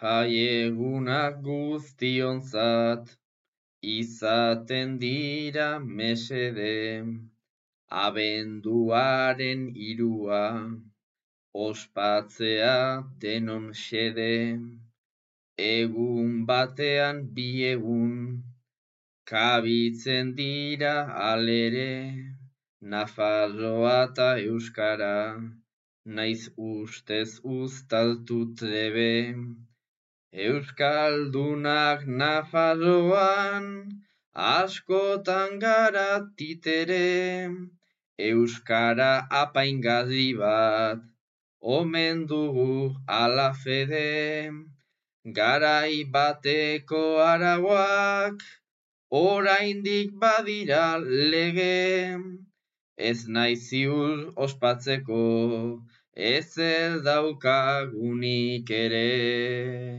Jaiegunak guztionzat, izaten dira mesede, abenduaren 3, ospatzea denon xede, egun batean 2 egun, kabitzen dira alere, Nafarroa eta Euskara, naiz ustez uztartu trebe. Euskaldunak Nafarroan, askotan gara titere, Euskara apaingarri bat, omen dugu ala fede, garai bateko arauak, oraindik badira lege, ez naiz ziur ospatzeko, ezer daukagunik ere.